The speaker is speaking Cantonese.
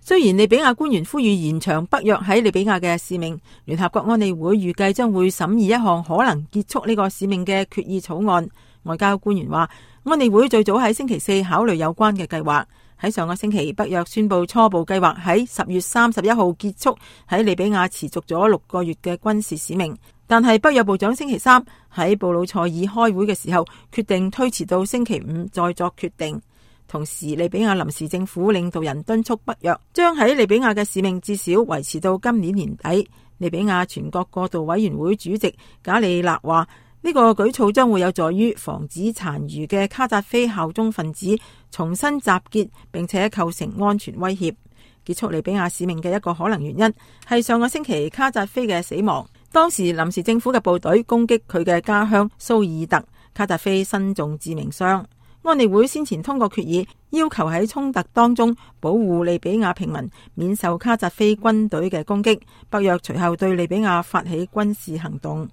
雖然利比亞官員呼籲延長北約喺利比亞嘅使命，聯合國安理會預計將會審議一項可能結束呢個使命嘅決議草案。外交官員話，安理會最早喺星期四考慮有關嘅計劃。喺上個星期，北約宣布初步計劃喺10月31號結束喺利比亞持續咗6個月嘅軍事使命，但係北約部長星期三喺布魯塞爾開會嘅時候，決定推遲到星期五再作決定。同時，利比亞臨時政府領導人敦促北約將喺利比亞嘅使命至少維持到今年年底。利比亞全國過渡委員會主席賈里納話，呢個舉措將會有助於防止殘餘嘅卡扎菲效忠分子重新集結，並且構成安全威脅。結束利比亞使命嘅一個可能原因係上個星期卡扎菲嘅死亡。當時臨時政府嘅部隊攻擊佢嘅家鄉蘇爾特，卡扎菲身中致命傷。安理會先前通過決議，要求喺衝突當中保護利比亞平民免受卡扎菲軍隊嘅攻擊。北約隨後對利比亞發起軍事行動。